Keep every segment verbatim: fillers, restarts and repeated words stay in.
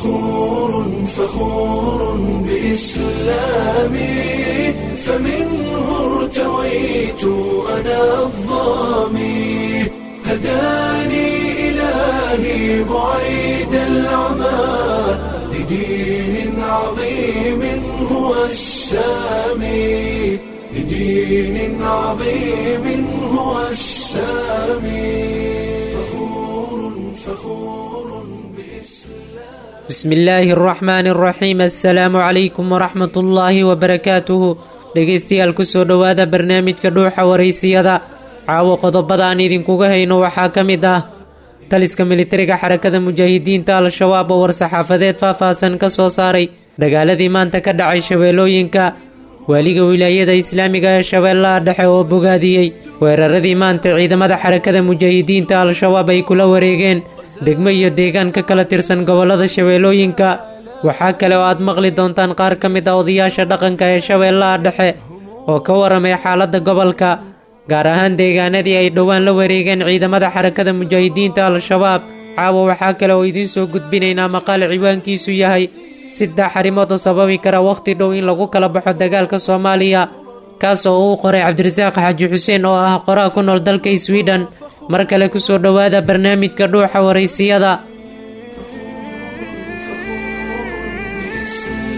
فخور فخور بإسلامي، فمنه ارتويت أنا الظامي، هداني إلهي بعيد العمى لدين عظيم هو السامي، لدين عظيم هو السامي، فخور فخور بإسلام. بسم الله الرحمن الرحيم. Assalaamu calaykum waraxmat ullaahi wabarakaatuhu. Dhegaystayaal, kusoo dhowaada barnaamijka Dhuuxa Waraysiyada. Caawo qodobada aan idinkuga hayno waxaa ka mid ah taliska militariga Xarakada Mujaahidiinta Al-Shabaab oo war-saxaafadeed faahfaahsan ka soo saaray dagaaladii maanta ka dhacay Shabeellooyinka, waaliga Wilaayada Islaamiga ee Shabeellaha Dhexe oo bogaadiyey weeraradii maanta ciidamada Xarakada Mujaahidiinta Al-Shabaab ay kula wareegeen degmo iyo deegaan ka kala tirsan gobollada Shabeellooyinka. Waxaa kale oo aad maqli doontaan qaar ka mid ah odayaasha dhaqanka ee Shabeellaha Dhexe oo ka waramay xaaladda gobolka, gaar ahaan deegaanadii ay dhowaan la wareegeen ciidamada Xarakada Mujaahidiinta Al-Shabaab. Caawa waxaa kale oo idiin soo gudbinaynaa maqaal ciwaankiisu yahay saddex arrimood oo sababi kara wakhti dhow in lagu kala baxo dagaalka Soomaaliya, kaas oo uu qoray Cabdirasaaq Xaaji Xuseen oo ah qoraa ku nool dalka Sweden. Mar kale kusoo dhowaada barnaamijka Dhuuxa Waraysiyada.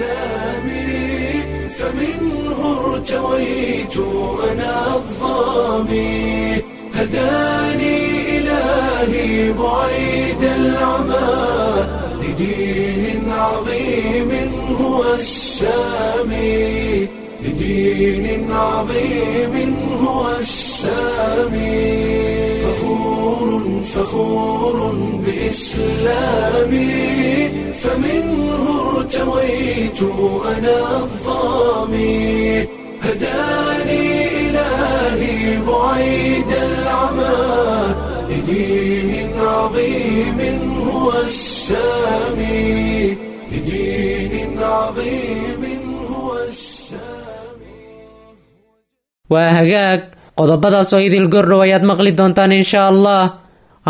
بإسلامي، فمنه ارتويت أنا الظامي، هداني إلهي بعيد العمى لدين عظيم هو السامي، لدين عظيم هو السامي، فخور فخور بإسلامي، فمنه ارتويت أنا الظامي، هداني إلهي بعيد العمى لدين عظيم هو السامي، لدين عظيم هو السامي. Waa hagaag, qodobadaas oo idil gordhow ayaad maqli doontaan insha Allah.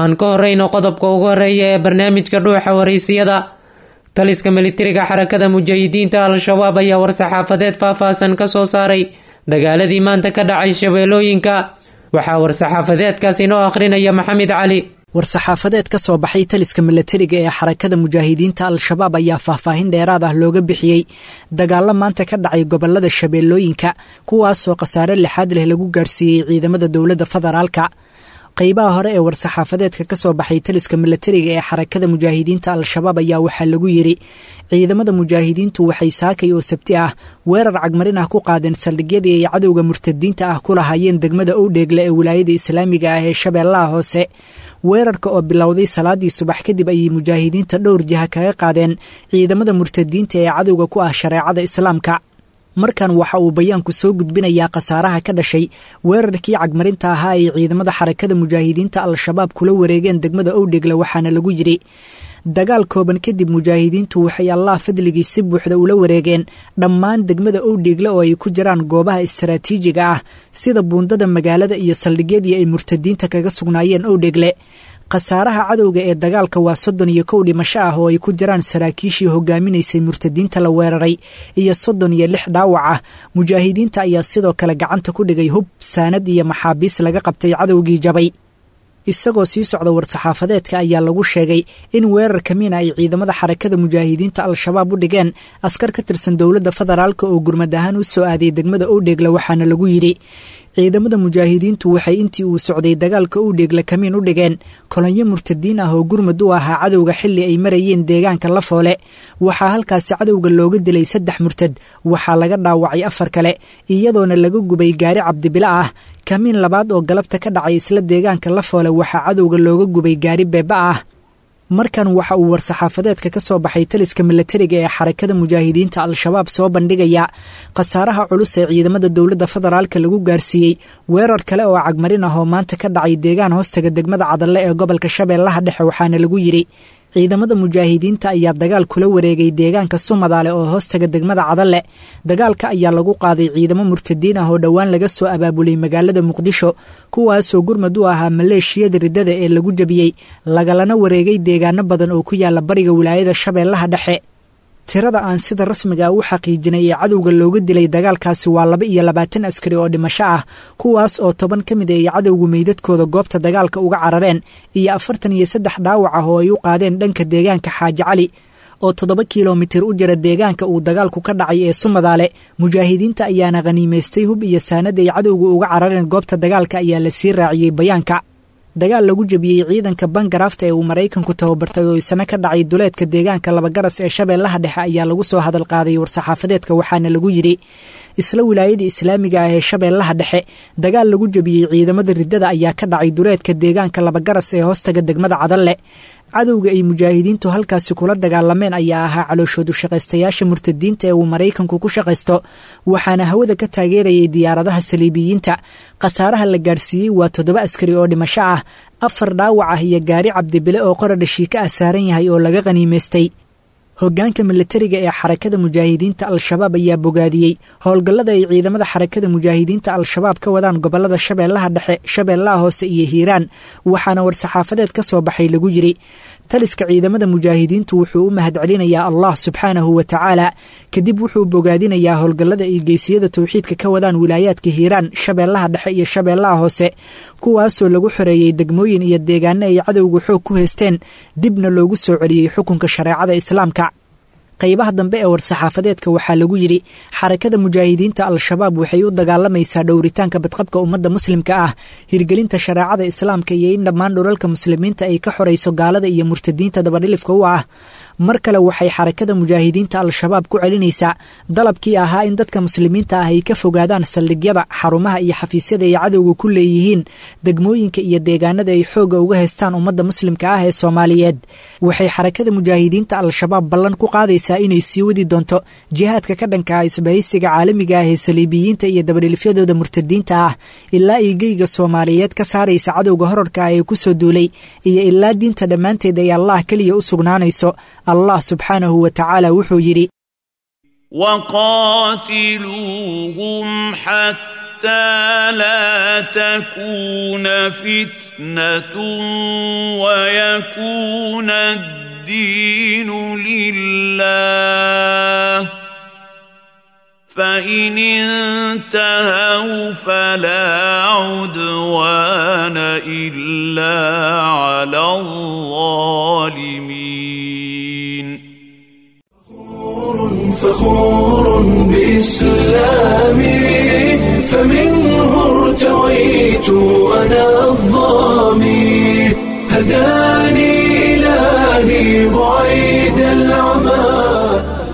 Aan ka horreyno qodobka ugu horreeya ee barnaamijka Dhuuxa Waraysiyada. Taliska militariga Xarakada Mujaahidiinta Al-Shabaab ayaa war-saxaafadeed faahfaahsan ka soo saaray dagaaladii maanta ka dhacay Shabeellooyinka. Waxaa war-saxaafadeedkaas inoo akhrinaya Maxamed Cali. War-saxaafadeed ka soo baxay taliska milatariga ee Xarakada Mujaahidiinta Al-Shabaab ayaa faahfaahin dheeraad ah looga bixiyey dagaallo maanta ka dhacay gobolada Shabeellooyinka, kuwaasoo khasaare lixaad leh lagu gaarsiiyey ciidamada dowladda federaalka. Qaybaha hore ee war-saxaafadeedka ka soo baxay taliska milatariga ee Xarakada Mujaahidiinta Al-Shabaab ayaa waxaa lagu yidhi: ciidamada mujaahidiintu waxay saakay oo Sabti ah weerar cagmarin ah ku qaadeen saldhigyadii ay cadowga murtadiinta ah ku lahaayeen degmada Owdheegle ee Wilaayada Islaamiga ah ee Shabeellaha Hoose. Weerarka oo bilowday salaadii subax kadib ayay mujaahidiinta dhowr jiha kaga qaadeen ciidamada murtadiinta ee cadowga ku ah shareecada Islaamka. Markan waxa uu bayaanku soo gudbinayaa khasaaraha ka dhashay weerarkii cagmarinta ahaa ay ciidamada Xarakada Mujaahidiinta Al-Shabaab kula wareegeen degmada Owdhegle, waxaana lagu yidhi: dagaal kooban kadib mujaahidiintu waxay Allah fadligii si buuxda ula wareegeen dhammaan degmada Owdheegle oo ay ku jiraan goobaha istaraatiijiga ah sida buundada magaalada iyo saldhigyadii ay murtadiinta kaga sugnaayeen Owdhegle. Khasaaraha cadowga ee dagaalka waa soddon iyo kow dhimasho ah oo ay ku jiraan saraakiishii hogaaminaysay murtadiinta la weeraray iyo soddon iyo lix dhaawac ah. Mujaahidiinta ayaa sidoo kale gacanta ku dhigay hub, saanad iyo maxaabiis laga qabtay cadowgii jabay. Isagoo sii socda war-saxaafadeedka ayaa lagu sheegay in weerarka miina ay ciidamada Xarakada Mujaahidiinta Al-Shabaab u dhigeen askar ka tirsan dowladda federaalka oo gurmad ahaan u soo aaday degmada Owdheegle, waxaana lagu yidhi: ciidamada mujaahidiintu waxay intii uu socday dagaalka Owdheegle kamiin u dhigeen kolonyo murtadiin ah oo gurmad u ahaa cadowga xilli ay marayeen deegaanka Lafoole. Waxaa halkaasi cadowga looga dilay saddex murtad, waxaa laga dhaawacay afar kale, iyadoona laga gubay gaari cabdibilo ah. Kamiin labaad oo galabta ka dhacay isla deegaanka Lafoole waxaa cadowga looga gubay gaari beeba ah. Markan waxa uu war-saxaafadeedka ka soo baxay taliska milatariga ee Xarakada Mujaahidiinta Al-Shabaab soo bandhigaya khasaaraha culus ee ciidamada dowladda federaalka lagu gaarsiiyey weerar kale oo cagmarin ah oo maanta ka dhacay deegaan hoostaga degmada Cadalle ee gobolka Shabeellaha Dhexe, waxaana lagu yidhi: Ciidamada mujaahidiinta ayaa dagaal kula wareegay deegaanka Sumadaale oo hoostaga degmada Cadalle. Dagaalka ayaa lagu qaaday ciidamo murtadiin ah oo dhowaan laga soo abaabulay magaalada Muqdisho, kuwaasoo gurmad u ahaa maleeshiyada riddada ee lagu jabiyey, lagalana wareegay deegaano badan oo ku yaala bariga wilaayada Shabeellaha Dhexe. Tirada aan sida rasmiga ah u xaqiijinay ee cadowga looga dilay dagaalkaasi waa laba iyo labaatan askari oo dhimasho ah, kuwaas oo toban ka mid ay cadowgu meydadkooda goobta dagaalka uga carareen, iyo afartan iyo saddex dhaawac ah oo ay u qaadeen dhanka deegaanka Xaaji Cali oo toddoba kilomitir u jira deegaanka uu dagaalku ka dhacay ee Sumadaale. Mujaahidiinta ayaana khaniimaystay hub iyo saanad ay cadowga uga carareen goobta dagaalka, ayaa la sii raaciyey bayaanka. Dagaal lagu jabiyey ciidanka Bangaraafta ee uu Maraykanku tababartay oo isna ka dhacay duleedka deegaanka Labagaras ee Shabeellaha Dhexe ayaa lagu soo hadal qaaday war-saxaafadeedka, waxaana lagu yidhi: isla wilaayada islaamiga ah ee Shabeellaha Dhexe dagaal lagu jabiyey ciidamada riddada ayaa ka dhacay duleedka deegaanka Labagaras ee hoostaga degmada Cadalle. Cadowga ay mujaahidiintu halkaasi kula dagaalameen ayaa ahaa calooshoodu shaqaystayaasha murtadiinta ee uu Maraykanku ku shaqaysto, waxaana hawada ka taageerayay diyaaradaha saliibiyiinta. Khasaaraha la gaarsiiyey waa toddoba askari oo dhimasho ah, afar dhaawac ah iyo gaari cabdibile oo qoradha shiika ah saaran yahay oo laga qhaniimaystay. Hoggaanka milatariga ee Xarakada Mujaahidiinta Al-Shabaab ayaa bogaadiyey howlgallada ay ciidamada Xarakada Mujaahidiinta Al-Shabaab ka wadaan gobollada Shabeellaha Dhexe, Shabeellaha Hoose iyo Hiiraan, waxaana war-saxaafadeed ka soo baxay lagu yidhi: taliska ciidamada mujaahidiintu wuxuu u mahadcelinayaa Allah subxaanahu wa tacaala, kadib wuxuu bogaadinayaa howlgallada ay geesiyada towxiidka ka wadaan wilaayaadka Hiiraan, Shabeellaha Dhexe iyo Shabeellaha Hoose, kuwaasoo lagu xoreeyey degmooyin iyo deegaano ay cadowga xoog ku haysteen, dibna loogu soo celiyey xukunka shareecada islaamka. Qaybaha dambe ee war-saxaafadeedka waxaa lagu yidhi: Xarakada Mujaahidiinta Al-Shabaab waxay u dagaalamaysaa dhowritaanka badqabka ummadda muslimka ah, hirgelinta shareecada islaamka iyo in dhammaan dhulalka muslimiinta ay ka xorayso gaalada iyo murtadiinta dabadhilifka u ah. Mar kale waxay Xarakada Mujaahidiinta Al-Shabaab ku celinaysaa dalabkii ahaa in dadka muslimiinta ah ay ka fogaadaan saldhigyada, xarumaha iyo xafiisyada ay cadowga ku leeyihiin degmooyinka iyo deegaanada ay xoogga uga haystaan ummadda muslimka ah ee Soomaaliyeed. Waxay Xarakada Mujaahidiinta Al-Shabaab ballan ku qaadaysaa inay sii wadi doonto jihaadka ka dhanka ah isbahaysiga caalamiga ah ee saliibiyiinta iyo dabadhilifyadooda murtadiinta ah, ilaa ay geyga Soomaaliyeed ka saaraysa cadowga horarka ah ee ku soo duulay, iyo ilaa diinta dhammaanteed ay Allah keliya u sugnaanayso. Allah subxaanahu wa tacaala wuxuu yidhi: وقاتلوهم حتى لا تكون فتنة ويكون الدين لله، فإن انتهوا فلا عدوان إلا على الظالمين. فخور بإسلامي، فمنه ارتويت أنا الظامي، هداني إلهي بعيد العمى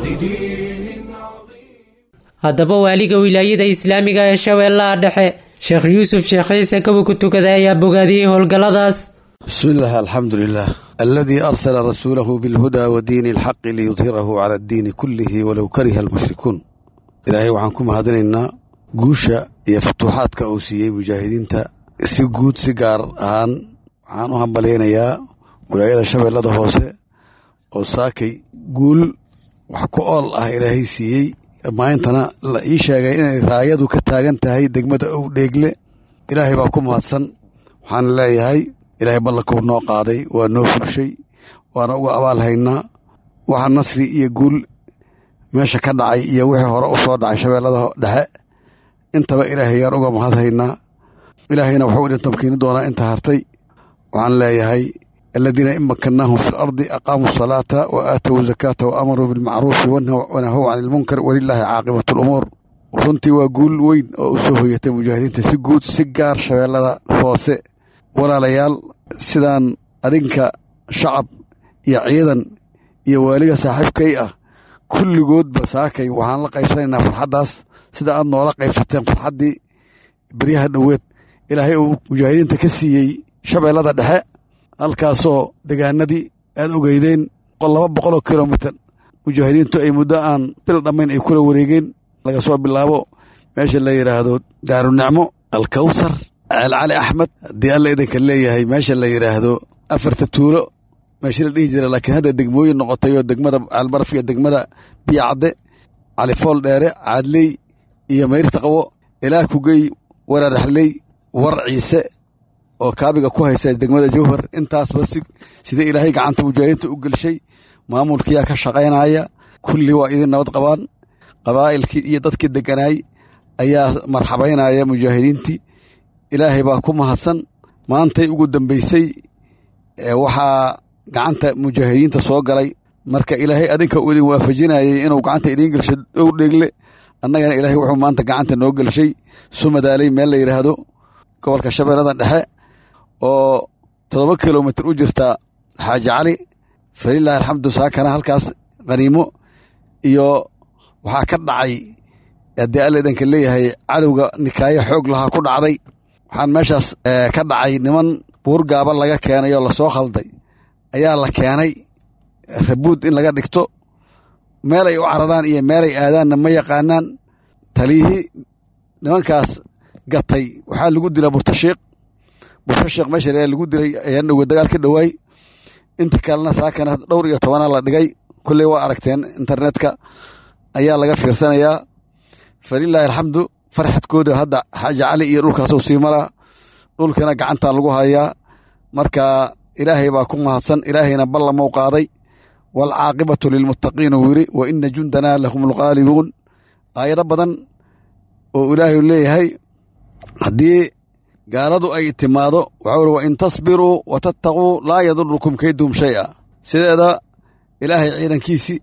لدين عظيم. Haddaba waaliga wilaayada islaamiga ee Shabeellaha Dhexe, Sheekh Yuusuf Sheekh Ciise Kaba ku tukada, ayaa bogaadiyey howlgalladaas. بسم الله، الحمد لله الذي أرسل رسوله بالهدى ودين الحق ليظهره على الدين كله ولو كره المشركون. Ilaahay waxaan ku mahadinaynaa guusha iyo futuuxaadka uu siiyey mujaahidiinta si guud, si gaar ahaan waxaan u hambalyaynayaa wilaayada Shabeellada Hoose oo saakay guul wax ku ool ah Ilaahay siiyey, maantana la ii sheegay inay raayadu ka taagan tahay degmada Owdheegle. Ilaahay baa ku mahadsan. Waxaan leeyahay Ilaahay ballankuu noo qaaday waa noo fulshay, waana uga abaal haynaa. Waxa nasri iyo guul meesha ka dhacay iyo wixii hore u soo dhacay Shabeellada Dhexe intaba Ilaahay yaan uga mahad haynaa. Ilaahayna wuxuu idin tamkiini doonaa inta hartay. Waxaan leeyahay: الذين إن مكناهم في الأرض أقاموا الصلاة وآتوا الزكاة وأمروا بالمعروف ونهوا عن المنكر ولله عاقبة الأمور. Runtii waa guul weyn oo u soo hoyatay mujaahidiinta si guud, si gaar Shabeellada Hoose. Walaalayaal, sidaan adinka shacab iyo ciidan iyo waaliga saaxiibkay ah kulligoodba saakay waxaan la qaybsanaynaa farxaddaas, sida aad noola qaybsateen farxaddii beryaha dhoweed Ilaahay uu mujaahidiinta ka siiyey Shabeellada Dhexe, halkaasoo degaanadii aad ogeydeen laba boqoloo kilomitir mujaahidiintu ay muddo aan bil dhammayn ay kula wareegeen, laga soo bilaabo meesha la yidhaahdo Daarunicmo, Alkawsar, Ceel Cali Axmed, haddii Alla idinka leeyahay meesha la yidhaahdo afarta tuulo. meeshii la dhihi jira, laakiin hadda degmooyin noqotay oo degmada Ceelbaraf iyo degmada Biyacadde, Califool Dheere, Caadley iyo Mayrta Qabo, ilaa Kugey, Waraaraxley, War Ciise oo kaabiga ku haysa degmada Jowhar. Intaasba si sida Ilaahay gacanta mujaahidiinta u gelshay, maamulkiyaa ka shaqaynaya, kulli waa idin nabad qabaan. Qabaa'ilkii iyo dadkii deganaay ayaa marxabaynaya mujaahidiintii. Ilaahay baa ku mahadsan. Maantay ugu dambaysay waxaa gacanta mujaahidiinta soo galay. Marka Ilaahay adinka uu idin waafajinayay inuu gacanta idiin gelsho Dhowr Dheegle, annagana Ilaahay wuxuu maanta gacanta noo gelshay Sumadaaley, meel la yidhaahdo gobolka Shabeellada Dhexe oo toddoba kilomitir u jirta Xaaji Cali. Falilaahi alxamdu, saakana halkaas khaniimo iyo waxaa ka dhacay, haddii Alla idinka leeyahay, cadowga nikaayo xoog lahaa ku dhacday. Waxaan meeshaas ka dhacay niman buur gaaba laga keenay oo lasoo khalday ayaa la keenay rabuud in laga dhigto. Meelay u cararaan iyo meelay aadaanna ma yaqaanaan. Taliyihii nimankaas gatay waxaa lagu dilaa Burtashiikh. Burtashiikh meesha lagu dilay ayaan dhowe dagaal ka dhowaay. Inta kalena saakana dhowr iyo tobanaa la dhigay. Kulley waa aragteen, internetka ayaa laga fiirsanayaa. Falilaahi alxamdu, farxadkooda hadda Xaaji Cali iyo dhulkaasuu sii maraa, dhulkana gacantaa lagu hayaa. Marka Ilaahay baa ku mahadsan. Ilaahayna ballamou qaaday, waalcaaqibatu lilmuttaqiin uu yidhi, wa ina jundanaa lahum alghaalibuun. Aayado badan oo Ilaahay leeyahay haddii gaaladu ay timaado, waxau uri: wa in tasbiruu wa tattaquu laa yadurukum kayduhum shay'a. Sideeda Ilaahay ciidankiisii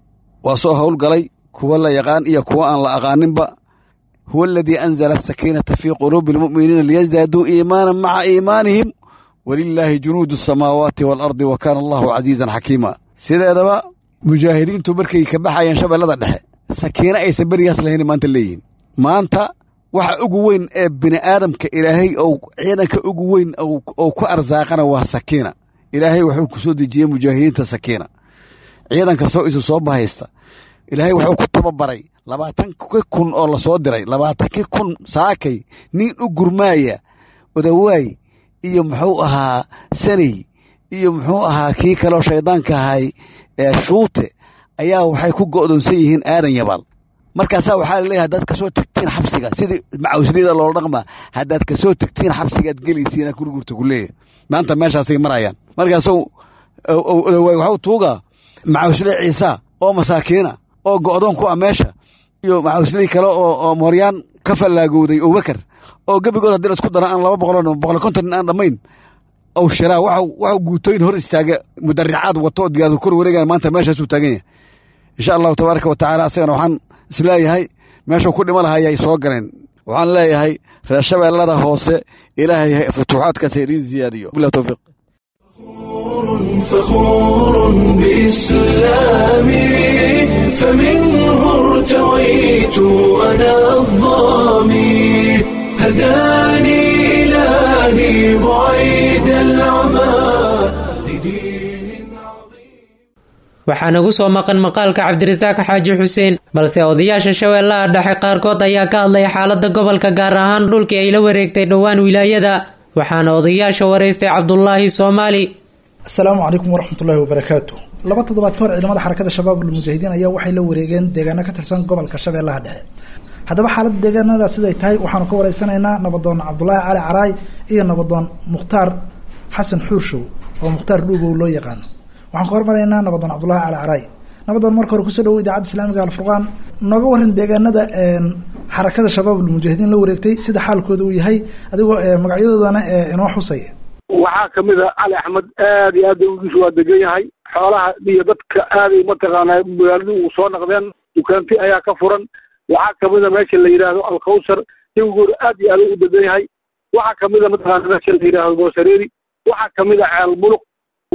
waa soo howlgalay, kuwa la yaqaan iyo kuwa aan la aqaaninba. Huwa aladii anzala asakiinata fii quluubi almu'miniina liyasdaaduu iimaanan maca iimaanihim, walilaahi junuudu asamaawaati waalardi, wa kaana allahu casiizan xakiima. Sideedaba mujaahidiintu markay ka baxayeen Shabeellada Dhexe, sakiino aysan berigaas lahayn maanta leeyihin. Maanta waxa ugu weyn ee bini aadamka Ilaahay ou ciidanka ugu weyn oo ku arsaaqana waa sakiina. Ilaahay wuxuu ku soo dejiyey mujaahidiinta sakiina. Ciidanka soo isu soo bahaysta Ilaahay wuxuu ku tababaray labaatanki kun oo lasoo diray. Labaatankii kun saakay nin u gurmaaya Odawaay iyo muxuu ahaa Saney iyo muxuu ahaa kii kaloo shaydaanka ahay ee Shuute ayaa waxay ku go'doonsan yihiin Aadan Yabaal. Markaasaa waxaa laleeyahay, haddaad kasoo tagtiin xabsiga, sidii macawisliyada loola dhaqmaa, haddaad kasoo tagtiin xabsigaad gelaysiina gurgurta ku leeyahay. Maanta meeshaasay marayaan. Markaasuu Odawaay waxuu tuugaa macawisle Ciisa oo masaakiina oo go'doon ku ah meesha iyo macawisley kale oo oo mooryaan ka fallaagowday Abubakar oo gebigood haddii la isku dara aan laba boqoloo boqol konton nin aan dhammayn ow shiraa. Waxau waxau guutooyin hor istaaga mudaricaad wato oo diyaaradu kor wareegaya. Maanta meeshaasuu taagan yahay, insha Allahu tabaaraka wa tacaala. Asagana waxaan isleeyahay meeshuu ku dhima lahayay soo galeen. Waxaan leeyahay reer Shabeellada Hoose, Ilaahay futuuxaadkaas idiin ziyaadiyo. Billahi tawfiiq. فخور بإسلامي، فمنه ارتويت أنا الظامي، هداني إلهي بعيد العمى لدين عظيم. Waxaa nagu soo maqan maqaalka Cabdirasaaq Xaaji Xuseen, balse odayaasha Shabeellaha Dhexe qaarkood ayaa ka hadlay xaaladda gobolka, gaar ahaan dhulkii ay la wareegtay dhowaan wilaayada. Waxaana odayaasha waraystay Cabdulaahi Soomaali. Asalaamu calaykum waraxmatullaahi wabarakaatu. Laba toddobaad ka hor ciidamada Xarakada Shabaab Almujaahidiin ayaa waxay la wareegeen deegaano ka tirsan gobolka Shabeellaha Dhexe. Haddaba xaaladda deegaanada siday tahay waxaanu ka wareysanaynaa nabadoon Cabdulaahi Cali Caraay iyo nabadoon Mukhtaar Xasan Xuurshow oo Mukhtaar Dhuugow loo yaqaano. Waxaan ka hormaraynaa nabadoon Cabdulaahi Cali Caraay. Nabadoon, marka hore kusoo dhawow Idaacadda Islaamiga Alfurqaan. Nooga waran deegaanada Xarakada Shabaab Almujaahidiin la wareegtay, sida xaalkooda uu yahay, adigoo magacyadoodana inoo xusaya. Waxaa kamid a Cali Axmed. Aad iyo aad ugiisu waa degan yahay, xoolaha iyo dadka aaday mataqaanaa magaaladu uu soo naqdeen, dukaanti ayaa ka furan. Waxaa kamid a meesha la yidhaahdo Alkawsar, jawigoor aad iyo aad u degan yahay. Waxaa kamid a mataqaana meesha la yidhaahdo Boosareeri. Waxaa kamid a Ceel Buluq.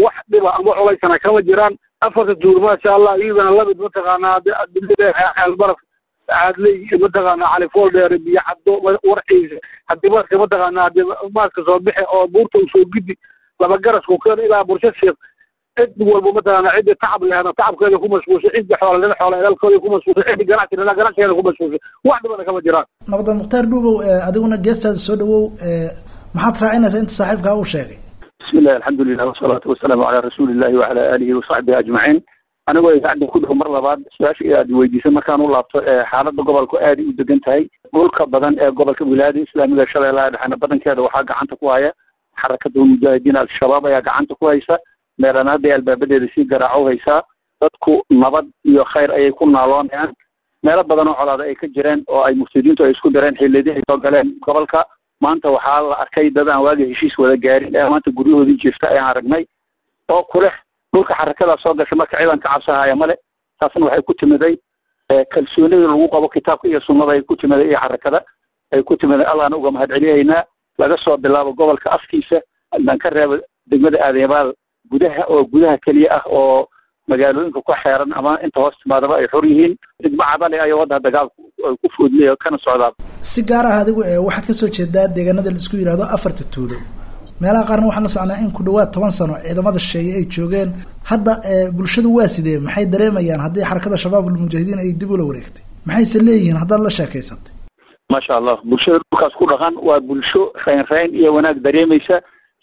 Wax dhiba ama culaysana kama jiraan. Afarta tuur maasha Allah, iyadana lamid mataqaanaa Ceel Baraf, Caadley, mataqaanaa Califool Dheere, Biyo Caddo, Warciisa. Haddii marka mataqaanaa hadii maaska soo bixi oo buurta uu soo gidi laba garasku keen ilaa Bursha Sheekh, cid walba mataqaanaa cidda tacab lehna tacabkeeda ku mashquulshay, cidda xoola lehna xoola ilaalkooda ku mashquulshay, cidda ganacsi lehna ganacsigeeda ku mashquulshay, wax dhibana kama jiraan. Nabadoon Mukhtaar Dhuubow, adiguna geestaada soo dhawow. Maxaad raacinaysaa inta saaxiibkaa uu sheegay? Bismillahi, alxamdulilah, wasalaatu wasalaamu calaa rasuulillahi wacala aalihi wasaxbihi ajmaciin. Anigoo idaacadda ku dhow, mar labaad su-aasha aad weydiisay markaan u laabto, xaaladda gobolku aaday u degan tahay. Dhulka badan ee gobolka wilaayada islaamiga Shabeellaha Dhexena badankeeda waxaa gacanta ku haya Xarakada Mujaahidiin Al-Shabaab ayaa gacanta ku haysa. Meelana hadday albaabadeeda sii garaaco haysaa. Dadku nabad iyo khayr ayay ku naaloonayaan. Meelo badan oo colaada ay ka jireen oo ay muftidiintu ay isku direen xilliyadii ay soo galeen gobolka, maanta waxaa la arkay dad aan waagi heshiis wada gaarin ee maanta guryahoodii jirta ayaan aragnay oo kuleh dhulka xarakadaa soo gashay. Marka ciidanka cabsahaya male. Taasna waxay ku timiday kalsoonida lagu qabo kitaabka iyo sunnada ay ku timiday iyo xarakada ay ku timiday. Allahna uga mahadceliyaynaa. Laga soo bilaabo gobolka afkiisa aan ka reebo degmada Aadyabaal gudaha oo gudaha keliya ah oo magaalooyinka ku xeeran ama inta hoos timaadaba ay xor yihiin. Degmo Cadale ayaa wadda dagaalku ay ku foodley kana socdaa. Si gaar ah adigu waxaad kasoo jeedaa deegaanada la isku yidhaahdo afarta tuulo. Meelaha qaarna waxaan la socnaa in ku dhawaad toban sano ciidamada shisheeye ay joogeen. Hadda bulshadu waa sidee? Maxay dareemayaan haddii Xarakada Shabaab Almujaahidiin ay dib ula wareegtay? Maxayse leeyihiin haddaad la sheekaysatay? Maasha Allah, bulshada dhulkaas ku dhaqan waa bulsho rayn rayn iyo wanaag dareemaysa.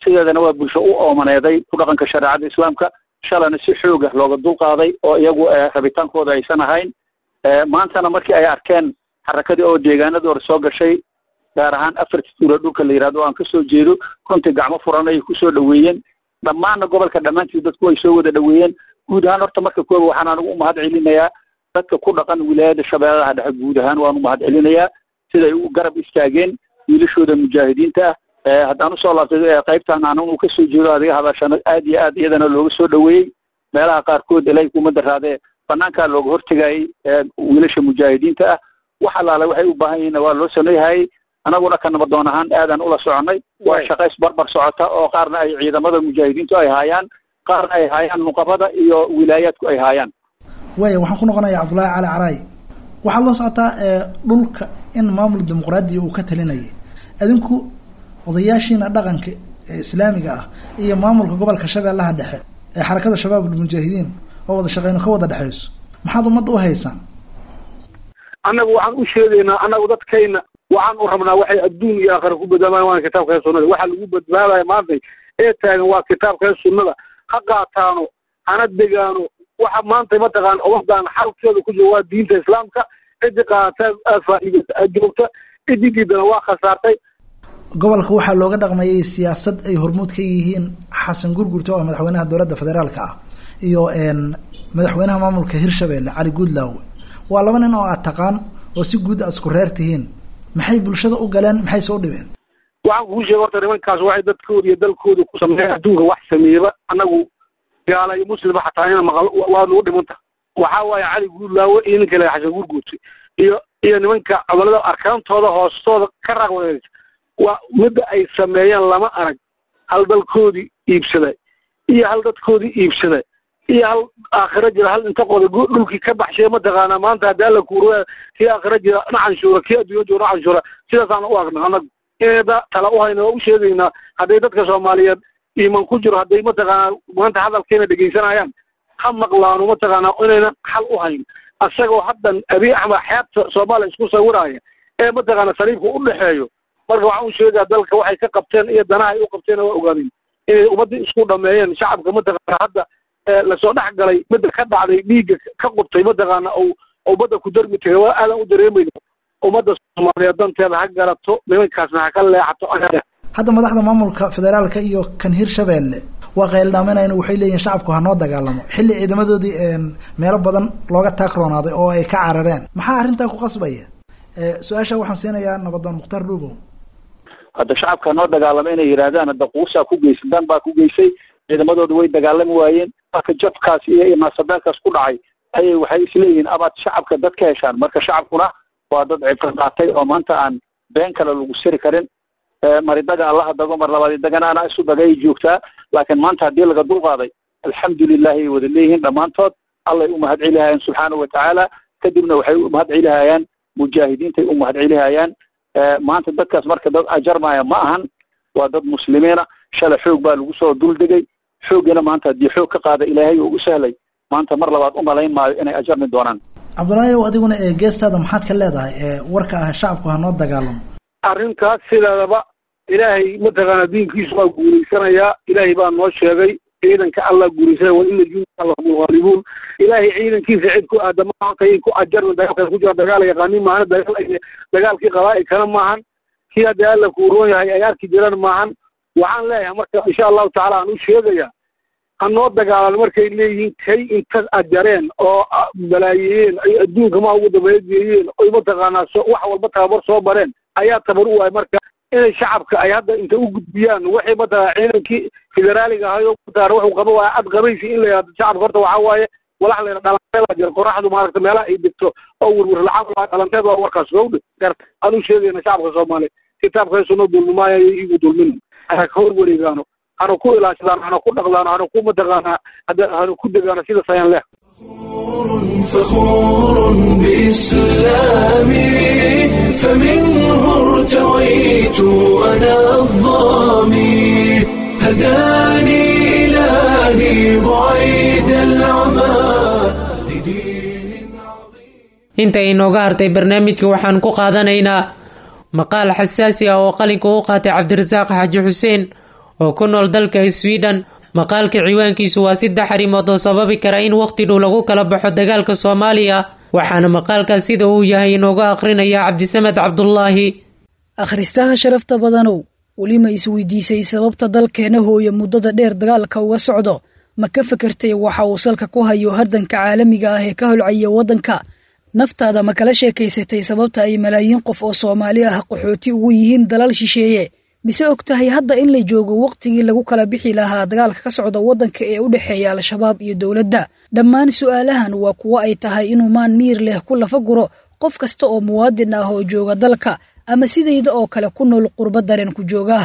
Sideedana waa bulsho u oomaneeday ku dhaqanka shareecada islaamka, shalana si xooga looga dulqaaday oo iyagu rabitaankooda aysan ahayn. Maantana markii ay arkeen xarakadii oo deegaanada hore soo gashay, gaar ahaan afarta tuula dhulka la yihahdo aan kasoo jeedo, runtii gacmo furan ay kusoo dhaweeyeen. Dhammaanna gobolka dhammaantiis dadku ay soo wada dhaweeyeen guud ahaan. Horta marka kooba waxaan anigu umahad celinayaa dadka ku dhaqan wilaayada Shabeellaha Dhexe guud ahaan. Waan umahad celinayaa siday u garab istaageen wiilashooda mujaahidiinta ah. Haddaan usoo laabtay qaybtan anigu kasoo jeedo adiga hadashana, aad iyo aad iyadana looga soo dhaweeyey. Meelaha qaarkood ilay kuma daraadee banaankaa looga hortegayay wiilasha mujaahidiinta ah. Wax allaale waxay u baahan yihiinna waa loo sameeyhayay. Anaguna ka nabadoon ahaan aadaan ula soconay. Waa shaqays barbar socota oo qaarna ay ciidamada mujaahidiintu ay haayaan, qaarna ay haayaan nuqabada iyo wilaayaadku ay haayaan. Waaya, waxaan ku noqonayaa Cabdullaahi Cali Caraay. Waxaad la socotaa dhulka in maamul dimuqraadiya uu ka talinayay. Adinku odayaashiina dhaqanka ee islaamiga ah iyo maamulka gobolka Shabeellaha Dhexe ee Xarakada Shabaab Almujaahidiin oo wada shaqeyno ka wada dhexeyso, maxaad ummadda u haysaan? Annagu waxaan u sheegaynaa, annagu dadkayna waxaan u rabnaa waxay adduun iyo aakhira ku badbaadaan waana kitaabka iyo sunnada. Waxa lagu badbaadaya maanta ee taagan waa kitaabka iyo sunnada. Ha qaataano, hana degaano. Waxa maanta mataqaan ummadan xalkeeda ku jiro waa diinta islaamka. Ciddi qaata faa'iida joogta, ciddi diidana waa khasaartay. Gobolka waxaa looga dhaqmayay siyaasad ay hormuud ka yihiin Xasan Gurgurto oo madaxweynaha dowladda federaalka ah iyo madaxweynaha maamulka Hirshabeelle Cali Guudlaawe. Waa laba nin oo aad taqaan oo si guud aad isku reer tihiin. Maxay bulshada u galeen? Maxay soo dhibeen? Waxaan kuu sheegay, horta nimankaas waxay dadkooda iyo dalkooda ku sameeyeen adduunka wax sameeyaba annagu gaala iyo muslima xataa ina maqal waa nagu dhimanta. Waxaa waaye Cali Guudlaawe iyo ninka la Xasan Gurguurte iyo iyo nimanka gobolada arkaantooda hoostooda ka raaqwadeys waa midda ay sameeyeen lama arag. Hal dalkoodii iibsaday iyo hal dadkoodii iibsaday iyo hal aakhiro jira, hal inta qoda dhulkii ka baxshay mataqaanaa. Maanta haddii alla kuuro, kii aakhiro jira na canshuura, kii adduunya jooga na canshuura. Sidaasaan u aragna annagu inayda tala u hayna waa u sheegaynaa. Hadday dadka Soomaaliyeed iiman ku jiro, hadday mataqaanaa maanta hadalkeena dhegaysanayaan, ha maqlaano mataqaanaa inayna xal u hayn asagoo haddan Abiy Axmed xeebta Soomaaliya isku sawiraya ee mataqaana saliibka u dhexeeyo. Marka waxaan u sheegaa dalka waxay ka qabteen iyo danaha ay u qabteen waa ogaadeen inay ummadda isku dhameeyeen. Shacabka mataqaana hadda lasoo dhex galay midda ka dhacday dhiigga ka qubtay mataqaana oo ummadda ku darmi tagay waa aadan u dareemayna. Ummadda Soomaaliyeed danteeda ha garato, nimankaasna ha ka leexato. Hadda madaxda maamulka federaalka iyo kan Hirshabeelle waa qayldhaaminayna, waxay leeyihin shacabku hanoo dagaalamo, xilli ciidamadoodii meelo badan looga taagroonaaday oo ay ka carareen. Maxaa arrintaa ku qasbaya? Su-aasha waxaan siinayaa nabadoon Mukhtaar Dhuubow. Hadda shacabka hanoo dagaalamo inay yidhaahdaan, hadda quusaa ku geysay, dan baa ku geysay. Ciidamadooda way dagaalami waayeen. Marka jabkaas iyo naasabeelkaas ku dhacay ayay waxay isleeyihiin abaad shacabka dad ka heshaan. Marka shacabkuna waa dad cibro qaatay oo maanta aan been kale lagu siri karin. Maridaga allaha dago, mar labaad dagana anaa isu dagay joogtaa. Laakiin maanta haddii laga dulqaaday, alxamdulilahi ay wada leeyihiin dhammaantood. Allay u mahad celihayaan subxaanahu watacaala, kadibna waxay u mahad celihayaan mujaahidiintay u mahad celihayaan maanta dadkaas. Marka dad ajarmaya ma ahan, waa dad muslimiina. Shalay xoog baa lagu soo duldegay, xooggana maanta haddii xoog ka qaada Ilaahay oo u sahlay, maanta mar labaad u malayn maayo inay ajarmi doonaan. Cabdullaahi ow, adiguna ee geestaada maxaad ka leedahay ee warka ah shacabku hanoo dagaalamo? Arrintaas sideedaba Ilaahay mataqaana diinkiisu waa guulaysanayaa. Ilaahay baa noo sheegay ciidanka Allah guulaysanaya, wa ina junuuda lahumul ghaalibuun. Ilaahay ciidankiisa cid ku aadama hortayay ku ajarna dagaalka ku jira dagaal yaqaanin maahan, dagaal dagaalkii qabaa'ilkana maahan, kii hadda Alla kuu roon yahay ay arki jiraan maahan. Waxaan leeyahay marka insha Allahu tacaala aan u sheegayaa hanoo dagaalan markay leeyihiin kay inta ajareen oo balaayeeyeen ay adduunka ma ugu dambeeya geeyeen oy mataqaanaa wax walba tababar soo bareen ayaa tabar u waay. Marka inay shacabka ay hadda inta u gudbiyaan waxay mataqaana ciidankii federaaliga ahayo mataqaana wuxuu qaba waa ad qabaysi in la yidhahdo shacabka. Horta waxaa waaye walax la yidhahdo dhalanteed jira, qoraxdu maaragta meelaha ay degto oo werwer lacag waa dhalanteed, waa warkaas gowdha aan u sheegayna shacabka Soomaaliya kitaabka sunno dulmimaayo igu dulmin ha ka hor wareegaano, hana ku ilaashadaan, hana ku dhaqdaan, hana ku mataqaanaa hana ku degaano sida sayan leh. فخور بإسلامي فمنه ارتويت أنا الظامي هداني إلهي بعيد العمى لدين عظيم. Inta inooga hartay barnaamijka waxaan ku qaadanaynaa maqaal xasaasi ah oo qalinka u qaatay Cabdirasaaq Xaaji Xuseen oo ku nool dalka Sweden. Maqaalka ciwaankiisu waa saddex arrimood oo sababi kara in waqti dhow lagu kala baxo dagaalka Soomaaliya, waxaana maqaalkaas sida uu yahay inooga akhrinaya Cabdisamed Cabdulaahi. Akhristaha sharafta badanow, weli ma isweydiisay sababta dalkeena hooya muddada dheer dagaalka uga socdo? Ma ka fekertay waxa uu salka ku hayo hardanka caalamiga ah ee ka holcaya waddanka? Naftaada ma kala sheekaysatay sababta ay malaayiin qof oo Soomaali ah qaxooti ugu yihiin dalal shisheeye? Mise og tahay hadda in la joogo wakhtigii lagu kala bixi lahaa dagaalka ka socda waddanka ee u dhexeeya Al-Shabaab iyo dowladda? Dhammaan su'aalahan waa kuwo ay tahay inuu maan miir leh ku lafa guro qof kasta oo muwaadin ah oo jooga dalka ama sidayda oo kale ku nool qurbo dareen ku jooga.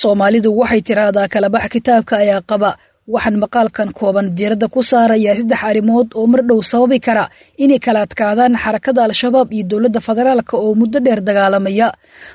Soomaalidu waxay tiraahdaa kalabax kitaabka ayaa qaba. Waxaan maqaalkan kooban diiradda ku saarayaa saddex arrimood oo mar dhow sababi kara inay kala adkaadaan xarakada Al-Shabaab iyo dowladda federaalka oo muddo dheer dagaalamaya.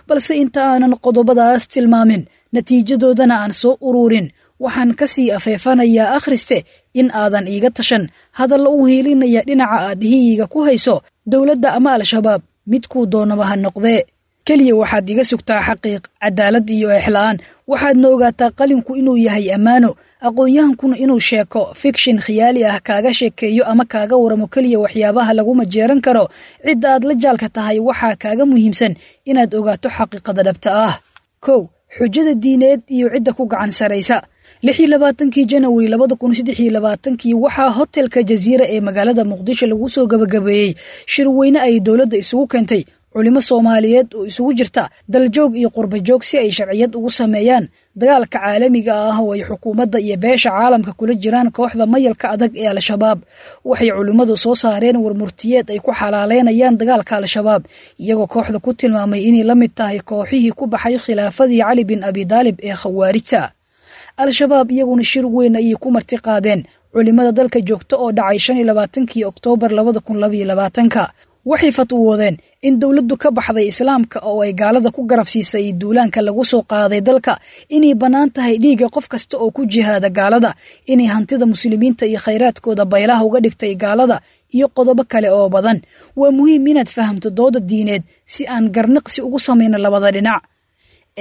Balse inta aanan qodobadaas tilmaamin, natiijadoodana aan soo ururin, waxaan ka sii afeefanayaa akhriste in aadan iiga tashan hadalla u hiilinaya dhinaca aad hiyiga ku hayso, dowladda ama Al-Shabaab, midkuu doonaba ha noqdee. Keliya waxaad iga sugtaa xaqiiq, cadaalad iyo exla'aan. Waxaadna ogaataa qalinku inuu yahay ammaano, aqoon-yahankuna inuu sheeko fikshin khiyaali ah kaaga sheekeeyo ama kaaga waramo keliya waxyaabaha lagu majeeran karo cidda aad la jaalka tahay. Waxaa kaaga muhiimsan inaad ogaato xaqiiqada dhabta ah. Kow, xujada diineed iyo cidda ku gacan saraysa. Lix iyo labaatankii Janawari labada kun saddex iyo labaatankii waxaa hotelka Jaziira ee magaalada Muqdisho lagu soo gabagabeeyey shirweyne ay dowladda isugu keentay culimo Soomaaliyeed oo isugu jirta daljoog iyo qurbajoog si ay sharciyad ugu sameeyaan dagaalka caalamiga ah oo ay xukuumadda iyo beesha caalamka kula jiraan kooxda mayalka adag ee Al-Shabaab. Waxay culimmadu soo saareen warmurtiyeed ay ku xalaaleynayaan dagaalka Al-Shabaab, iyagoo kooxda ku tilmaamay inay la mid tahay kooxihii ku baxay khilaafadii Cali bin Abidaalib ee khawaarijta. Al-Shabaab iyaguna shir weyn ayay ku marti qaadeen culimada dalka joogta oo dhacay shan iyo labaatankii Oktoobar labada kun labaiyo labaatanka. Waxay fatwoodeen in dowladdu ka baxday islaamka oo ay gaalada ku garab siisay duulaanka lagu soo qaaday dalka, inay bannaan tahay dhiigga qof kasta oo ku jihaada gaalada, inay hantida muslimiinta iyo khayraadkooda baylaha uga dhigtay gaalada, iyo qodobo kale oo badan. Waa muhiim inaad fahamto dooda diineed si aan garnaqsi ugu samayno labada dhinac.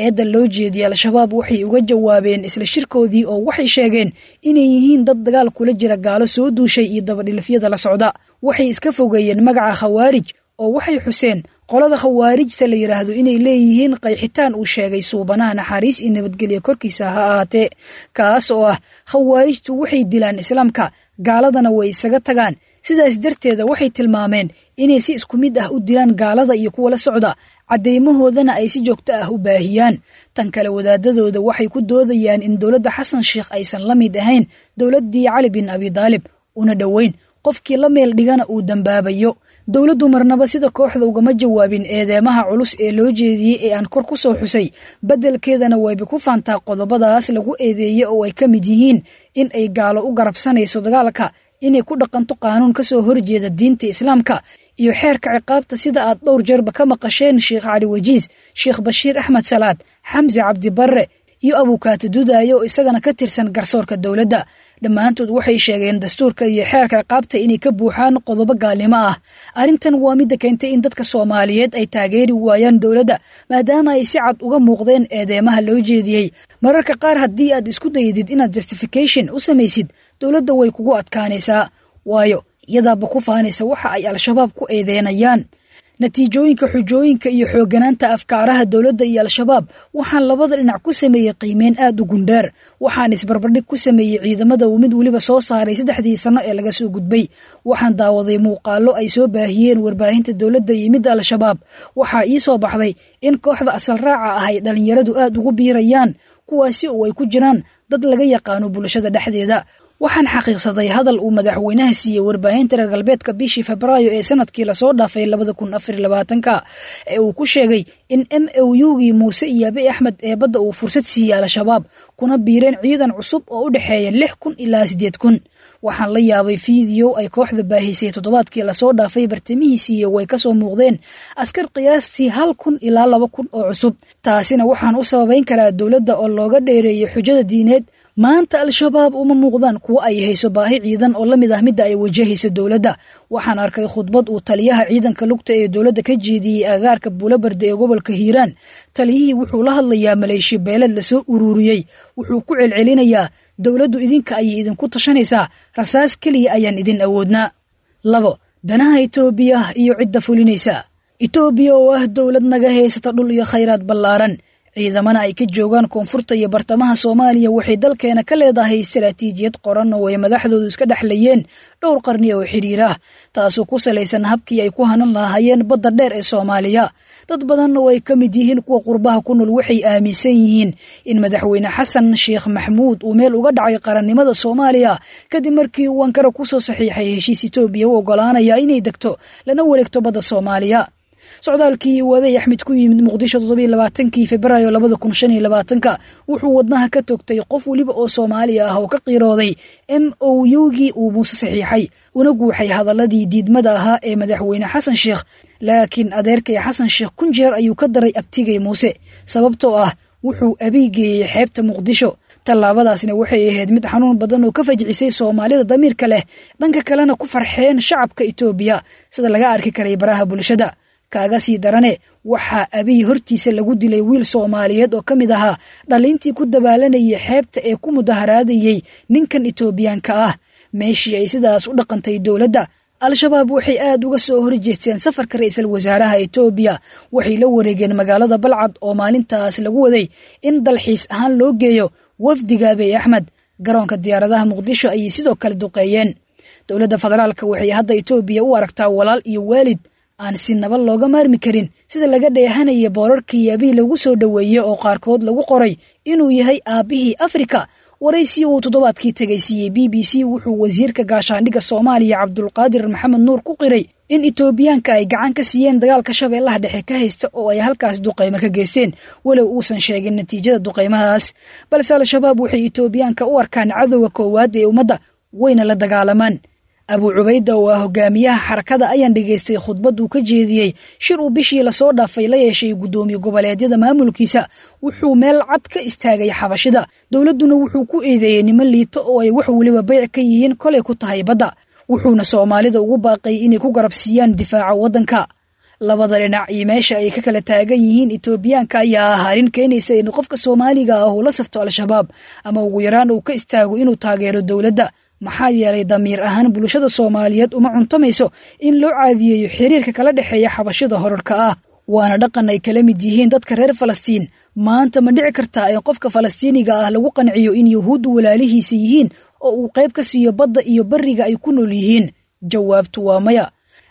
Eedda loo jeediyey Al-Shabaab waxay uga jawaabeen isla shirkoodii oo waxay sheegeen inay yihiin dad dagaal kula jira gaalo soo duushay iyo dabadhilifyada la socda. Waxay iska fogeeyeen magaca khawaarij oo waxay xuseen qolada khawaarijta la yidhaahdo inay leeyihiin qayxitaan uu sheegay suubanaha, naxariis iyo nabadgelya korkiisa ha ahaatee, kaas oo ah khawaarijtu waxay dilaan islaamka, gaaladana way isaga tagaan. Sidaas darteeda waxay tilmaameen inay si isku mid ah u dilaan gaalada iyo kuwa la socda, caddeymahoodana ay si joogto ah u baahiyaan. Tan kale, wadaadadooda waxay ku doodayaan in dowladda Xasan Sheikh aysan la mid ahayn dowladdii Cali bin Abidaalib, una dhoweyn, qofkii la meel dhigana uu dambaabayo. Dowladdu marnaba sida kooxda ugama jawaabin eedeemaha culus ee loo jeediyey ee aan kor ku soo xusay. Beddelkeedana wayba ku faantaa qodobadaas lagu eedeeyey oo ay ka mid yihiin in ay gaalo u garabsanayso dagaalka, inay ku dhaqanto qaanuun ka soo horjeeda diinta islaamka iyo xeerka ciqaabta, sida aad dhowr jeerba ka maqasheen Sheikh Cali Wajiis, Sheikh Bashiir Axmed Salaad, Xamse Cabdibarre iyo Abukaati Dudaayo oo isagana ka tirsan garsoorka dowladda. Dhammaantood waxay sheegeen dastuurka iyo xeerka ciqaabta inay ka buuxaan qodobo gaalnimo ah. Arrintan waa midda keentay in dadka Soomaaliyeed ay taageeri waayaan dowladda, maadaama ay si cad uga muuqdeen eedeymaha loo jeediyey. Mararka qaar haddii aad isku daydid inaad justification u samaysid dowladda, way kugu adkaanaysaa, waayo iyadaaba ku faanaysa waxa ay Al-Shabaab ku eedeynayaan. Natiijooyinka, xujooyinka iyo xoogganaanta afkaaraha dowladda iyo Al-Shabaab, waxaan labada dhinac ku sameeyey qiimeyn aad u gundheer. Waxaan isbarbardhig ku sameeyey ciidamada uu mid weliba soo saaray saddexdii sanno ee laga soo gudbay. Waxaan daawaday muuqaallo ay soo baahiyeen warbaahinta dowladda iyo midda Al-Shabaab. Waxaa ii soo baxday in kooxda asal raaca ah ay dhallinyaradu aad ugu biirayaan, kuwaasi oo ay ku jiraan dad laga yaqaano bulshada dhexdeeda. Waxaan xaqiiqsaday hadal uu madaxweynaha siiyey warbaahinta reer galbeedka bishii Febraayo ee sanadkii lasoo dhaafay labada kun afar iyo labaatanka ee uu ku sheegay in M O U-gii Muuse iyo Abiy Axmed ee badda uu fursad siiyey Al-Shabaab, kuna biireen ciidan cusub oo u dhexeeya lix kun ilaa siddeed kun. Waxaan la yaabay fiideo ay kooxda baahisay toddobaadkii lasoo dhaafay bartamihiisiiyo way kasoo muuqdeen askar qiyaastii hal kun ilaa laba kun oo cusub. Taasina waxaan u sababayn karaa dowladda oo looga dheereeyey xujada diineed. Maanta Al-Shabaab uma muuqdaan kuwo ay hayso baahi ciidan oo la mid ah midda ay wajahayso dowladda. Waxaan arkay khudbad uu taliyaha ciidanka lugta ee dowladda ka jeediyey agaarka Buulabarde ee gobolka Hiiraan. Taliyihii wuxuu la hadlayaa maleeshiya beeleed lasoo ururiyey. Wuxuu ku celcelinayaa, "Dowladdu idinka ayay idinku tashanaysaa, rasaas keliya ayaan idin awoodnaa." Labo, danaha Itoobiya iyo cidda fulinaysa. Itoobiya oo ah dowlad naga haysata dhul iyo khayraad ballaaran, ciidamana ay ka joogaan koonfurta iyo bartamaha Soomaaliya, waxay dalkeena ka leedahay istaraatiijiyad qoran oo ay madaxdoodu iska dhexlayeen dhowr qarni oo xidhiir ah, taasoo ku salaysan habkii ay ku hanan lahaayeen badda dheer ee Soomaaliya. Dad badan oo ay ka mid yihiin kuwa qurbaha ku nool waxay aaminsan yihiin in Madaxweyne Xasan Sheekh Maxmuud uu meel uga dhacay qarannimada Soomaaliya kadib markii uu Ankara kusoo saxiixay heshiis Itoobiya u ogolaanaya inay degto lana wareegto badda Soomaaliya. Socdaalkii uu Abiy Axmed ku yimid Muqdisho toddobiyo labaatankii Febraayo labada kun shan iyo labaatanka wuxuu wadnaha ka togtay qof weliba oo Soomaaliya ah oo ka qiirooday M O U-gii uu Muuse saxiixay, una guuxay hadaladii diidmada ahaa ee Madaxweyne Xasan Sheekh. Laakiin adeerkay Xasan Sheekh kun jeer ayuu ka daray abtigay Muuse, sababtoo ah wuxuu Abiy geeyey xeebta Muqdisho. Tallaabadaasna waxay ahayd mid xanuun badan oo ka fajcisay Soomaalida damiirka leh, dhanka kalena ku farxeen shacabka Itoobiya, sida laga arki karay baraha bulshada. Kaaga sii darane, waxaa Abiy hortiisa lagu dilay wiil Soomaaliyeed oo ka mid ahaa dhalintii ku dabaalanayay xeebta ee ku mudaharaadayey ninkan Itoobiyaanka ah. Meeshii ay sidaas u dhaqantay dowladda, Al-Shabaab waxay aad uga soo horjeesteen safarka ra-iisul wasaaraha Itoobiya. Waxay la wareegeen magaalada Balcad oo maalintaas lagu waday in dalxiis ahaan loo geeyo wafdiga Abiy Axmed. Garoonka diyaaradaha Muqdisho ayay sidoo kale duqeeyeen. Dowladda federaalka waxay hadda Itoobiya u aragtaa walaal iyo waalid aan si naba looga maarmi karin, sida laga dheehanaya boorarkii Abiy lagu soo dhoweeyey oo qaarkood lagu qoray inuu yahay aabbihii Afrika. Waraysi uu toddobaadkii tegay siiyey B B C, wuxuu wasiirka gaashaandhigga Soomaaliya Cabdulqaadir Maxamed Nuur ku qiray in Itoobiyaanka ay gacan ka siiyeen dagaalka Shabeellaha Dhexe ka haysta oo ay halkaas duqaymo ka geysteen, walow uusan sheegin natiijada duqaymahaas. Balse Al-Shabaab waxay Itoobiyaanka u arkaan cadowga koowaad ee ummadda, wayna la dagaalamaan. Abu Cubayda oo ah hogaamiyaha xarakada ayaan dhegaystay khudbad uu ka jeediyey shir uu bishii lasoo dhaafay la yeeshay guddoomiye goboleedyada maamulkiisa. Wuxuu meel cad ka istaagay xabashida, dowladduna wuxuu ku eedeeyey niman liito oo ay wax weliba beyc ka yihiin kolay ku tahay badda, wuxuuna Soomaalida ugu baaqay inay ku garabsiiyaan difaaca waddanka. Labada dhinac iyo meesha ay ka kala taagan yihiin Itoobiyaanka ayaa ah arrin keenaysa in qofka Soomaaliga ah uu la safto Al-Shabaab ama ugu yaraan uu ka istaago inuu taageero dowladda, maxaa yeelay damiir ahaan bulshada Soomaaliyeed uma cuntamayso in loo caadiyeeyo xiriirka kala dhexeeya xabashida horarka ah. Waana dhaqan ay kala mid yihiin dadka reer Falastiin. Maanta ma dhici kartaa in qofka Falastiiniga ah lagu qanciyo in Yuhuuddu walaalihiisa yihiin oo uu qayb ka siiyo badda iyo barriga ay ku nool yihiin? Jawaabtu waa maya.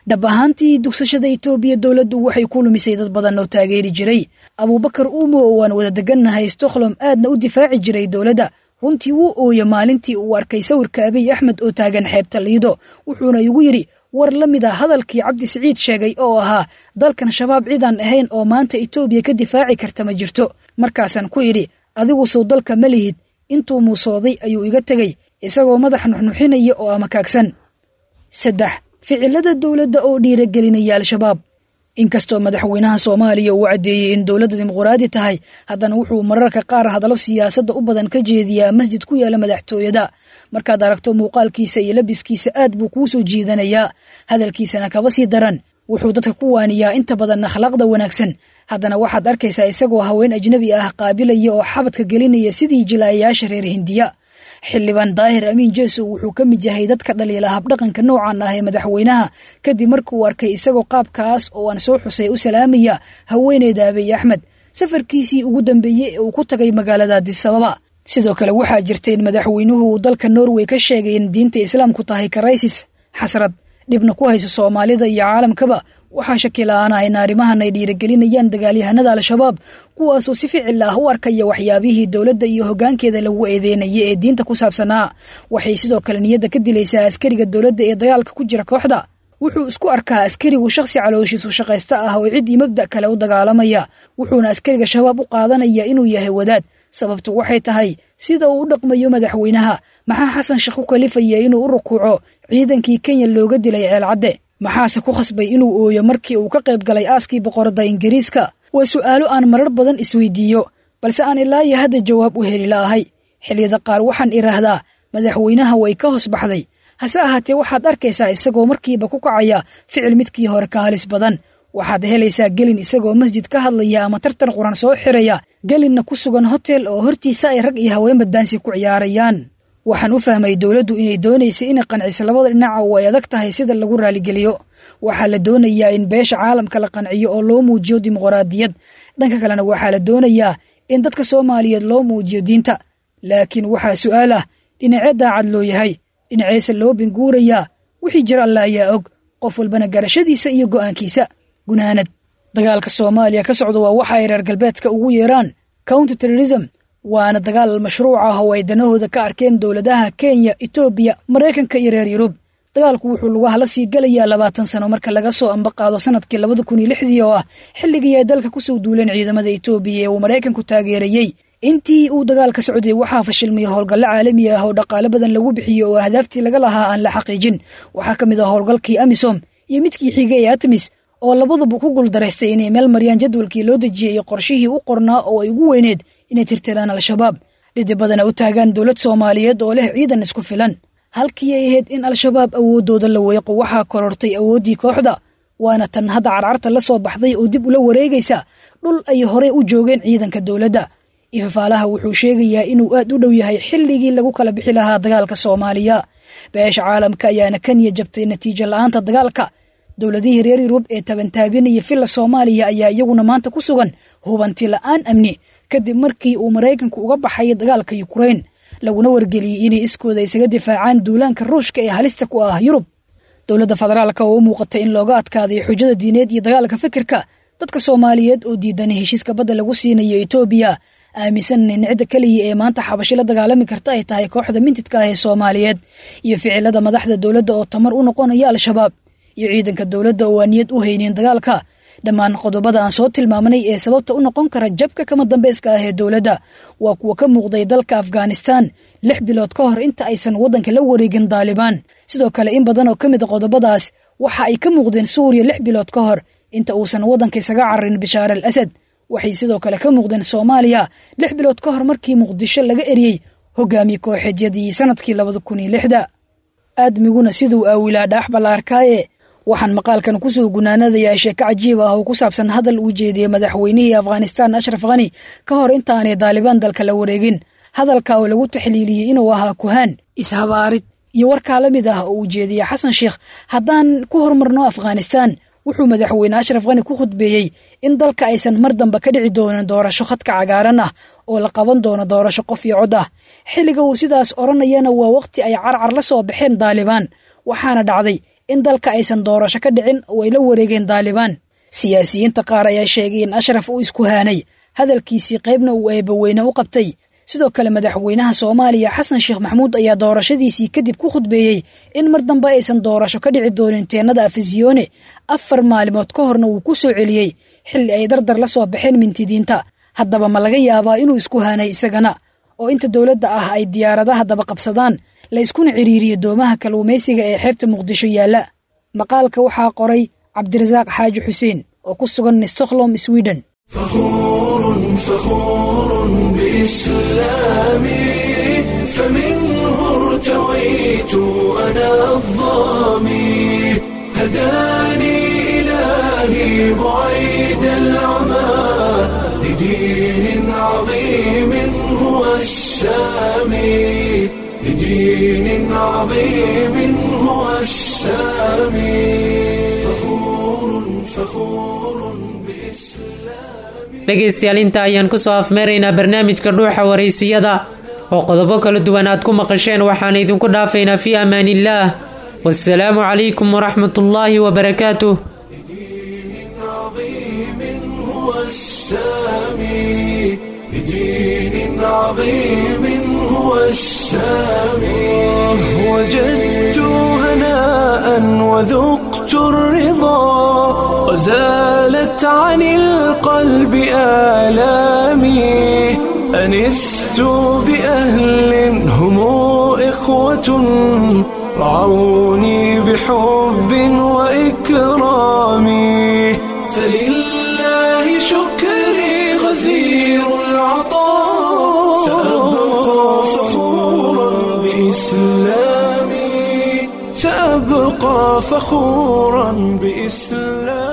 Dhab ahaantii, dugsashada Itoobiya dowladdu waxay ku lumisay dad badan oo taageeri jiray. Abuubakar Uumo oo aan wada degannahay Stockholm, aadna u difaaci jiray dowladda, runtii wuu ooye maalintii uu arkay sawirka Abiy Axmed oo taagan xeebta Liido, wuxuuna igu yidhi war la mid ah hadalkii Cabdi Siciid sheegay oo ahaa, "Dalkan Shabaab cidaan ahayn oo maanta Itoobiya ka difaaci karta ma jirto." Markaasaan ku idhi, "Adigu sow dalka ma lihid?" Intuu muusooday ayuu iga tegey isagoo madax nuxnuxinaya oo amakaagsan. Saddex, ficilada dowladda oo dhiiragelinaya Al-Shabaab. Inkastoo madaxweynaha Soomaaliya uu caddeeyey in dowladda dimuqraadi tahay, haddana wuxuu mararka qaar hadallo siyaasadda u badan ka jeediyaa masjid ku yaala madaxtooyada. Markaad aragto muuqaalkiisa iyo labiskiisa aad buu kuu soo jiidanayaa, hadalkiisana kaba sii daran. Wuxuu dadka ku waaniyaa inta badan akhlaaqda wanaagsan, haddana waxaad arkaysaa isagoo haween ajnabi ah qaabilaya oo xabadka gelinaya sidii jilaayayaasha reer Hindiya. Xildhibaan Daahir Amiin Jeesow wuxuu ka mid yahay dadka dhaliila habdhaqanka noocan ah ee madaxweynaha, kadib markuu arkay isagoo qaabkaas oo aan soo xusay u salaamaya haweeneyda Abiy Axmed safarkiisii ugu dambeeyey ee uu ku tagay magaalada Addis Ababa. Sidoo kale waxaa jirta in madaxweynuhu uu dalka Norway ka sheegay in diinta islaamku tahay karaysis, xasrad dhibna ku hayso Soomaalida iyo caalamkaba. Waxaa shaki la'aan ah in arrimahan ay dhiirigelinayaan dagaalyahanada Al-Shabaab, kuwaasoo si ficil ah u arkaya waxyaabihii dowladda iyo hoggaankeeda lagu eedeynayay ee diinta ku saabsanaa. Waxay sidoo kale niyadda ka dilaysaa askariga dowladda ee dagaalka ku jira kooxda. Wuxuu isku arkaa askarigu shakhsi calooshiisu shaqaysta ah oo cid iyo mabda' kale u dagaalamaya, wuxuuna askariga Shabaab u qaadanaya inuu yahay wadaad. Sababtu waxay tahay sida uu u dhaqmayo madaxweynaha. Maxaa Xasan Sheekh ku kalifaya inuu u rukuuco ciidankii Kenya looga dilay Ceelcadde? Maxaase ku khasbay inuu ooyo markii uu ka qayb galay aaskii boqorada Ingiriiska? Waa su'aalo aan marar badan isweydiiyo, balse aan ilaa iyo hadda jawaab u heli la'ahay. Xilliyada qaar waxaan idhaahdaa madaxweynaha way ka hoos baxday, hase ahaatee waxaad arkaysaa isagoo markiiba ku kacaya ficil midkii hore ka halis badan. Waxaad helaysaa gelin isagoo masjid ka hadlaya ama tartan quran soo xiraya, gelinna ku sugan hotel oo hortiisa ay rag iyo haweenba daansi ku ciyaarayaan. Waxaan u fahmay dowladdu inay doonaysa inay qanciso labada dhinac oo ay adag tahay sida lagu raaligeliyo. Waxaa la doonayaa in beesha caalamka la qanciyo oo loo muujiyo dimuqraadiyad. Dhanka kalena waxaa la doonayaa in dadka Soomaaliyeed loo muujiyo diinta. Laakiin waxaa su'aal ah, dhinacee daacad loo yahay, dhinaceese loo binguurayaa? Wixii jira Alla ayaa og, qof walbana garashadiisa iyo go'aankiisa. Gunaanad, dagaalka Soomaaliya ka socda waa waxa ay reer galbeedka ugu yeeraan counter terrorism, waana dagaal mashruuc ah oo ay danahooda ka arkeen dowladaha Kenya, Itoobiya, Maraykanka iyo reer Yurub. Dagaalku wuxuu lugaha la sii galayaa labaatan sano marka laga soo ambaqaado sanadkii labada kun iyo lixdii oo ah xilligii ay dalka kusoo duuleen ciidamada Itoobiya ee uu Maraykanku taageerayey. Intii uu dagaalka socday waxaa fashilmay howlgallo caalami ah oo dhaqaale badan lagu bixiyo oo ahdaaftii laga lahaa aan la xaqiijin. Waxaa ka mid ah howlgalkii AMISOM iyo midkii xigay ee ATMIS oo labaduba ku guuldareystay inay meel mariyaan jadwalkii loo dejiyey iyo qorshihii u qornaa oo ay ugu weyneed inay tirtiraan Al-Shabaab, dhidibadana u taagaan dowlad Soomaaliyeed oo leh ciidan isku filan. Halkii ay ahayd in Al-Shabaab awooddooda la weeqo, waxaa korortay awooddii kooxda, waana tan hadda carcarta la soo baxday oo dib ula wareegaysa dhul ay horey u joogeen ciidanka dowladda. Ifafaalaha wuxuu sheegayaa inuu aad u dhow yahay xilligii lagu kala bixi lahaa dagaalka Soomaaliya. Beesha caalamka ayaana ka niyad jabtay natiijo la'aanta dagaalka. Dowladihii reer Yurub ee tabantaabinaya filla Soomaaliya ayaa iyaguna maanta ku sugan hubanti la'aan amni kadib markii uu Maraykanku uga baxay dagaalka Ukraine, laguna wargeliyey inay iskooda isaga difaacaan duulaanka Ruushka ee halista ku ah Yurub. Dowladda federaalka oo u muuqatay in looga adkaaday xujada diineed iyo dagaalka fikirka dadka Soomaaliyeed oo diidan heshiiska badda lagu siinayo Itoobiya, aaminsan in cidda kaliya ee maanta xabashi la dagaalami karta ay tahay kooxda mintidka ah ee Soomaaliyeed, iyo ficilada madaxda dowladda oo tamar u noqonaya Al-Shabaab iyo ciidanka dowladda oo aan niyad u haynin dagaalka. Dhammaan qodobada aan soo tilmaamnay ee sababta u noqon kara jabka kama dambayska ah ee dowladda waa kuwa ka muuqday dalka Afghanistan lix bilood ka hor inta aysan waddanka la wareegin Daalibaan. Sidoo kale in badan oo ka mid a qodobadaas waxa ay ka muuqdeen Suuriya lix bilood ka hor inta uusan waddanka isaga cararin Bashaar al Asad. Waxay sidoo kale ka muuqdeen Soomaaliya lix bilood ka hor markii Muqdisho laga eriyey hogaamiye kooxeedyadii sanadkii labada kun iyo lixda. Aadmiguna siduu aawilaa dhaax ballaarkaaye. Waxaan maqaalkan kusoo gunaanadayaa sheeko cajiib ah oo ku saabsan hadal uu jeediyey madaxweynihii Afghanistan Ashraf Ghani ka hor intaanay Daalibaan dalka la wareegin. Hadalka oo lagu taxliiliyey inuu ahaa kuhaan, ishabaarid iyo warkaa la mid ah oo uu jeediyey Xasan Sheekh. Haddaan ku horumarno Afghanistan, wuxuu madaxweyne Ashraf Ghani ku khudbeeyey in dalka aysan mar dambe ka dhici doonin doorasho khadka cagaaran ah oo la qaban doono doorasho qof iyo cod ah. Xilliga uu sidaas odhanayana waa waqti ay carcar la soo baxeen Daalibaan, waxaana dhacday in dalka aysan doorasho ka dhicin oo ay la wareegeen Daalibaan. Siyaasiyiinta qaar ayaa sheegay in Ashraf uu isku haanay hadalkiisii qaybna uu eebaweyne u qabtay. Sidoo kale madaxweynaha Soomaaliya Xasan Sheekh Maxamuud ayaa doorashadiisii kadib ku khudbeeyey in mar dambe aysan doorasho ka dhici doonin teenada Afisyoone. Afar maalmood ka horna wuu ku soo celiyey xilli ay dardar la soo baxeen mintidiinta. Haddaba ma laga yaabaa inuu isku haanay isagana oo inta dowladda ah ay diyaaradaha daba qabsadaan la iskuna ciriiriyo doomaha kalluumaysiga ee xeebta Muqdisho yaalla? Maqaalka waxaa qoray Cabdirasaaq Xaaji Xuseen. oo ku sugan Stockholm, Sweden. فخور فخور بإسلامي، فمنه ارتويت أنا الظامي، هداني إلهي بعيد العمى لدين عظيم هو السامي، لدين عظيم هو السامي، فخور فخور بإسلامي. Dhegaystayaal, inta ayaan kusoo afmeeraynaa barnaamijka Dhuuxa Waraysiyada oo qodobo kala duwan aad ku maqasheen. Waxaan idinku dhaafaynaa fii amaaniillaah, wasalaamu calaykum waraxmatullaahi wabarakaatuh. لدين عظيم هو السامي، لدين عظيم هو السامي. وجدت هناء وذقت الرضا وزالت عن القلب آلامي، أنست بأهل هم إخوة رعوني بحب وإكرام. فلله شكري غزير العطاء، سأبقى فخورا بإسلامي، سأبقى فخورا بإسلامي.